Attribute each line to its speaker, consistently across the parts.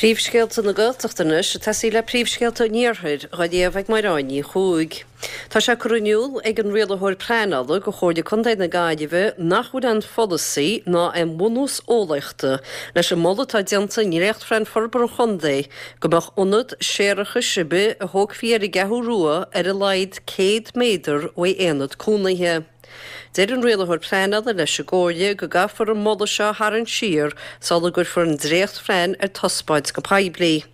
Speaker 1: Príomhscéalta na Gaeltachta anois, ag tosaí le príomhscéalta an Iarthair, dhá léamh ag Máire Áine Ní Chuaig. Tá sé curtha in iúl ag an Rialaitheoir Pleanála do Chomhairle Contae na Gaillimhe nach bhfuil aon pholasaí ná aon bhunús eolaíochta leis an moladh atá déanta i ndréachtphlean forbartha an chontae go mbeadh ionad séarachais ar bith a thógfaí ar an gCeathrú Rua ar a laghad 100 méadar uaidh aonad cónaithe. Deir an Rialaitheoir Pleanála leis an gComhairle go gcaithfear an moladh seo a tharraingt siar sula gcuirfear an dréachtphlean ar taispeáint go poiblí.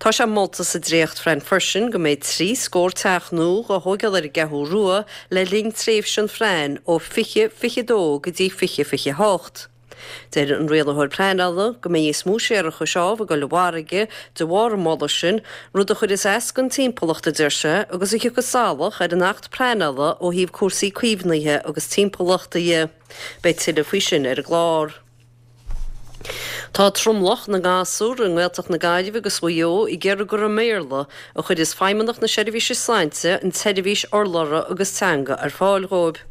Speaker 1: Tá sé molta sa dréachtphlean freisin go mbeidh 3 scór teach nua dhá thóigeáil ar an gCeathrú Rua le linn tréimhse an phlean ó 2022 go dtí 2028. Deir an Rialaitheoir Pleanála go mbeidh níos mó séarachais ámh ag dul i bhfarraige de bharr an mholadh sin, rud a chuirfeas as don timpeallacht, a deir sé, agus a thiocfas salach ar an Acht Pleanála ó thaobh cúrsaí caomhnaithe agus timpeallachta dhe. Beidh tuilleadh faoi sin ar an gclár. Tá tromlach na ngasúr i nGaeltacht na Gaillimhe agus Mhaigh Eo ag iarraidh gur i mBéarla a chuirfeas Feidhmeannacht na Seirbhíse Sláinte an tseirbhís urlabhra agus teanga ar fáil dhóibh.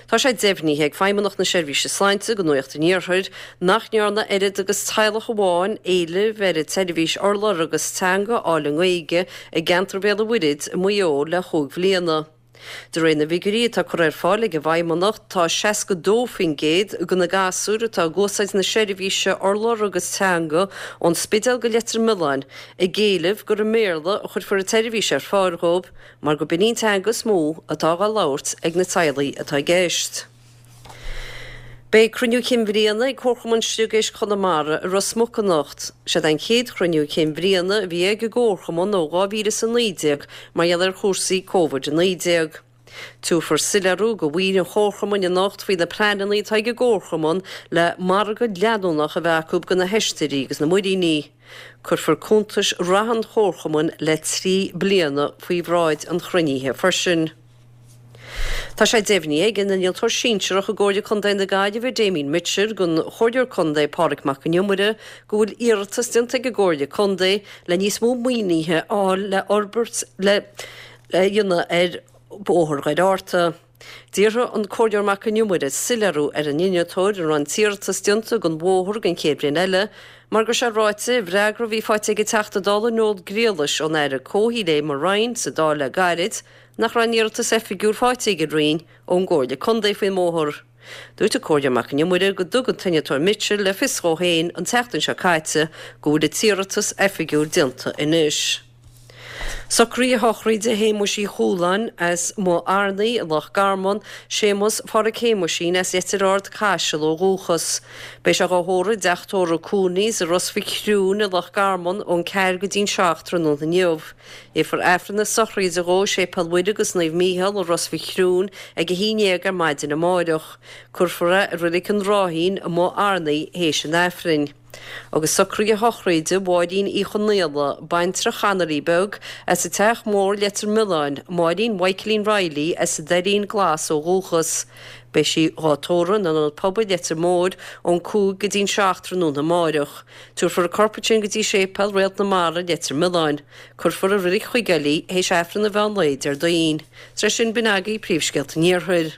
Speaker 1: Tá sé deimhnithe ag Feidhmeannacht na Seirbhíse Sláinte do Nuacht an Iarthair nach ndearna oiread agus teaghlach amháin éileamh ar an tseirbhís urlabhra agus teanga a fháil i nGaeilge i gceantar Bhéal an Mhuirthead i Maigh Eo le chúig bhliana. De réir na bhfigiúirí atá curtha ar fáil ag an bhFeidhmeannacht, tá 62% de na gasúir atá ag úsáid na seirbhíse urlabhra agus teanga ón Spidéal go Leitir Mealláin ag éileamh gur i mBéarla a chuirfear an tseirbhís ar fáil dhóibh mar gurb in í an teanga is mó atá dhá labhairt ag na teaghlaigh atá i gceist. Beidh Cruinniú Cinn Bhliana ag Comharchumann Sliogéisc Chonamara i Ros Muc anocht. Seod é an chéad chruinniú cinn bhliana a bhí ag an gComharchumann ó 2019 mar gheall ar chúrsaí Covid-19. Tabharfar soiléiriú do bhaill an Chomharchumainn anocht faoi na pleananna atá ag an gComharchumann le margadh leanúnach a bheith acu do na hoistrí agus na muiríní. Cuirfear cuntais reatha an Chomharchumainn le 3 bliana faoi bhráid an chruinnithe freisin. Tá sé deimhnithe ag an Innealtóir Sinsearach i gComhairle Contae na Gaillimhe, Damien Mitchell, don Chomhairleoir Contae Pádraig Mac Con Iomaire go bhfuil iarratas déanta ag an gComhairle Contae le níos mó maoinithe a fháil le fhorbairt le dhéanamh ar Bhóthar Dhoire Fhatharta. D'iarr an Comhairleoir Mac Con Iomaire soiléiriú ar an innealtóir an raibh an t-iarratas déanta don bhóthar don chéad bhliain eile mar go raibh sé ráite i bhfreagra a bhí faighte ag an Teachta Dála Noel Griallais ón Aire Comhshaoil Eamon Ryan sa Dáil le gairid nach raibh aon iarratas oifigiúil faighte ag an Roinn ón gComhairle Contae faoin mbóthar. Dúirt an Comhairleoir Mac Con Iomaire go dtug an t-innealtóir Mitchell le fios dhó féin an tseachtain seo caite go bhfuil an t-iarratas oifigiúil déanta anois. Socruithe shochraide Shéamuis Uí Chualáin as Maigh Arnaí i Loch Garman, Séamus Pháraic Shéamuisín as Leitir Ard Caiseal ó dhúchas. Beidh sé dhá thórramh i dteach tórraimh Cooney's i Ros Mhic Thriúin i Loch Garman ón 4 go dtí'n 7 tráthnóna inniu. Léifear Aifreann na sochraide dhó i Séipéal Mhuire agus Naomh Mícheál i Ros Mhic Thriúin ag 11 ar maidin amáireach. Cuirfear é i Roilig an Ráithín i Maigh Arnaí théis an Aifrinn. Agus socruithe shochraide Mháirín Uí Chonaola, baintreach Chanarí Beag, as an Teach Mór, Leitir Mealláin, Máirín Mhichaelín Reilly as an Doirín Glas ó dhúchas. Beidh sí dhá tórramh in Ionad Pobail Leitir Móir ón 5 go dtí'n 7 tráthnóna amáireach. Tabharfar a corp ansin go dtí Séipéal Réalt na Mara, Leitir Mealláin. Cuirfear i Reilig Chuigéil í théis Aifreann an mheán lae Déardaoin. Tar éis sin, b'in agaibh príomhscéalta an Iarthair.